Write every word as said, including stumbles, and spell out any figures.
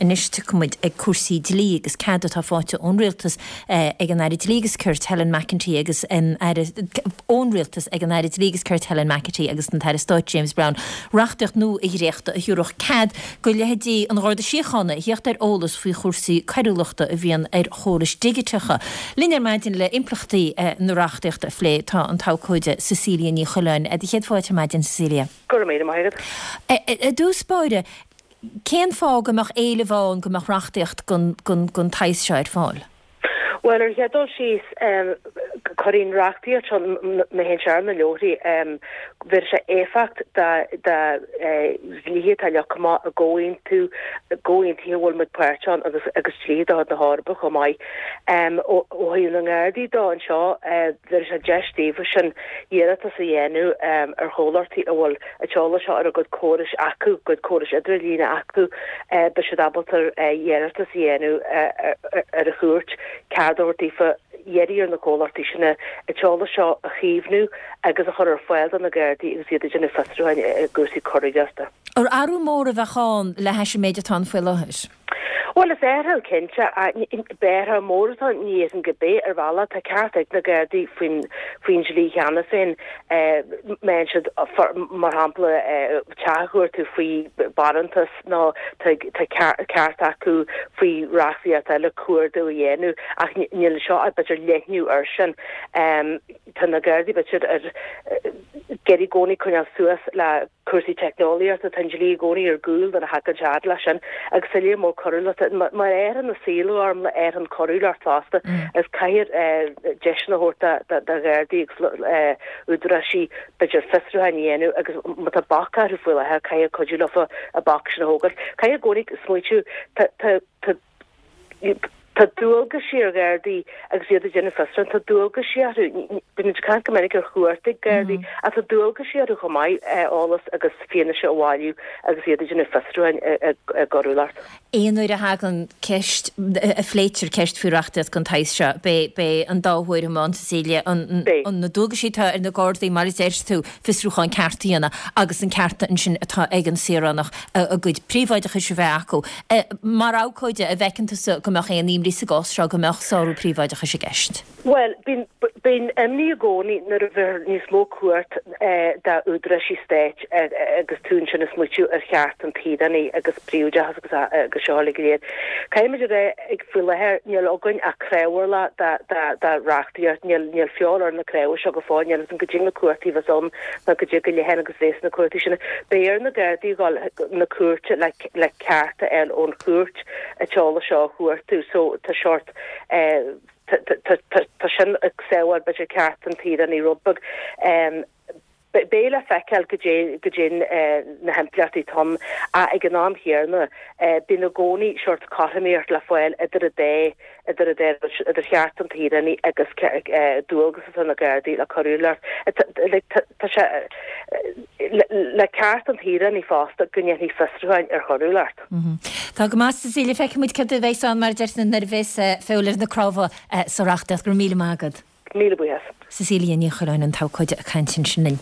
Anois tiocfaidh muid ag cúrsaí dlí agus cead atá faighte ón Rialtas ag an Aire Dlí agus Cirt Helen McEntee agus an Aire ón Rialtas ag an Aire Dlí agus Cirt Helen McEntee agus an tAire Stáit James Browne reachtaíocht nua a dhréachtadh a thabharfadh cead go leithéidí an Gharda Síochána a theacht ar eolas faoi chúrsaí coiriúlachta a bhíonn ar chórais dhigiteacha. Linn ar maidin le impleachtaí na reachtaíochta a phlé tá an t-abhcóide Cecilia Ní Choileáin. Do chéad fáilte ar maidin, Cecilia. Go raibh míle maith agat. I dtús báire, Cén fáth go mbeadh éileamh ann go mbeadh reachtaíocht den tsaghas seo ar fáil? Bhuel, ar an chéad dul síos, cuirfidh an reachtaíocht seo, má théann sé ar na leabharthaí, bhéarfaidh sé éifeacht do dhlíthe atá leagtha amach i gcomhaontú, gcomhaontuithe a bhfuil muid páirteach ann agus agus dlíthe de chuid na hEorpa chomh maith. Ó thaobh na nGardaí dó anseo, bhéarfaidh sé deis daofa sin iarratas a dhéanamh ar chomhlachtaí a bhfuil an t-eolas seo ar a gcuid córais acu, gcuid córais idirlíne acu, beidh siad ábalta iarratas a dhéanamh ar an chúirt cead a thabhairt daofa iarraidh ar na comhlachtaí sin an t-eolas seo a chaomhnú agus a chur ar fáil do na Gardaí agus iad ag déanamh fiosrúcháin i gcúrsaí coiriúlachta. Ar athrú mór a bheadh ann le hais an méid atá ann faoi láthair? Bhuel, is athrú cinnte, b'athrú mór atá ann, ní fhéadfainn go bith ar bhealach, tá ceart ag na Gardaí faoin faoin dlí cheana féin, má théann siad, mar shampla, teach a chuartú faoi bharántas nó tá ceart acu faoi reachtaíocht eile cuardach a dhéanamh ach níl seo ach b'fhéidir leathnú air sin. Tá na Gardaí b'fhéidir ag iarraidh i gcónaí coinneáil suas le cúrsaí teicneolaíochta, tá an dlí i gcónaí ar gcúl nuair a thagann sé fhad leis sin agus soiléir mór coiriúlachta. Mar a athraíonn an saol go hiomlán athraíonn coiriúlacht fosta agus caithfear deiseanna a thabhairt do Ghardaí agus údaráisí b'fhéidir fiosrúcháin a dhéanamh agus má tá bac orthu faoi láthair caithfear cuidiú leofa an bac sin a thógáil. Caithfear i gcónaí smaoitiú tá tá tá Tá dualgaisí ar Ghardaí agus iad ag déanamh fiosrúchán, tá dualgaisí orthu. Bíonn muid ag caint go minic ar chuardaigh Gardaí ach tá dualgaisí orthu chomh maith eolas agus fianaise a bhailiú agus iad ag déanamh fiosrúcháin i gcoiriúlacht. Aon uair a thagann ceist, a phléitear ceist faoi reachtaíocht den tsaghas seo, beidh an dá thuairim ann, Cecilia, na dualgaisí atá ar na Gardaí, mar a deir tú, fiosrúchán ceart a dhéanamh agus an ceart ansin atá ag an saoránach a gcuid príobháideachais a bheith acu. Mar abhcóide, an bhfeiceann tusa go mbeadh aon imní sa gcás seo go mbeadh sárú príobháideachais i gceist? Bhuel, bíonn, bíonn imní i gcónaí nuair a bheir níos mó cumhacht d'údaráisí stáit agus tú ansin ag smaoitiú ar cheart an tsaoránaigh agus príobháideachas agus agus seo uilig go léir. Caithfimid a rá ag faoi láthair níl againn ach crábhairleach de de de reachtaíocht, níl níl feoil ar na cnámha seo go fóill, níl fhios agam goidé na cumhachtaí a bheas ann ná goidé go leathan agus bhéas na cumhachtaí sin. Beidh ar na Gardaí a dhul chun na cúirte le le ceart a fháil ón chúirt an t-eolas seo a chuartú so tá seort tá sin ag sábháil b'fhéidir ceart an tsaoránaigh rud beag. Beidh le feiceáil goidé goidé na himpleachtaí atá ann ach ag an am chéanna bíonn i gcónaí seort cothromaíocht le fáil idir an dá idir an dá rud, idir cheart an tsaoránaigh agus dualgas atá ar na Gardaí le coiriúlacht. Tá sé le ceart an tsaoránaigh fosta go ndéanfaí fiosrúcháin ar choiriúlacht. Tá go maith, Cecilia. Feicfidh muid céard a bheas ann, mar a deir nuair a bheas feoil ar na cnámha sa reachtaíocht. Go raibh míle maith agat. Míle buíochas. Cecilia Ní Choileáin, an t-abhcóide ag caint ansin linn.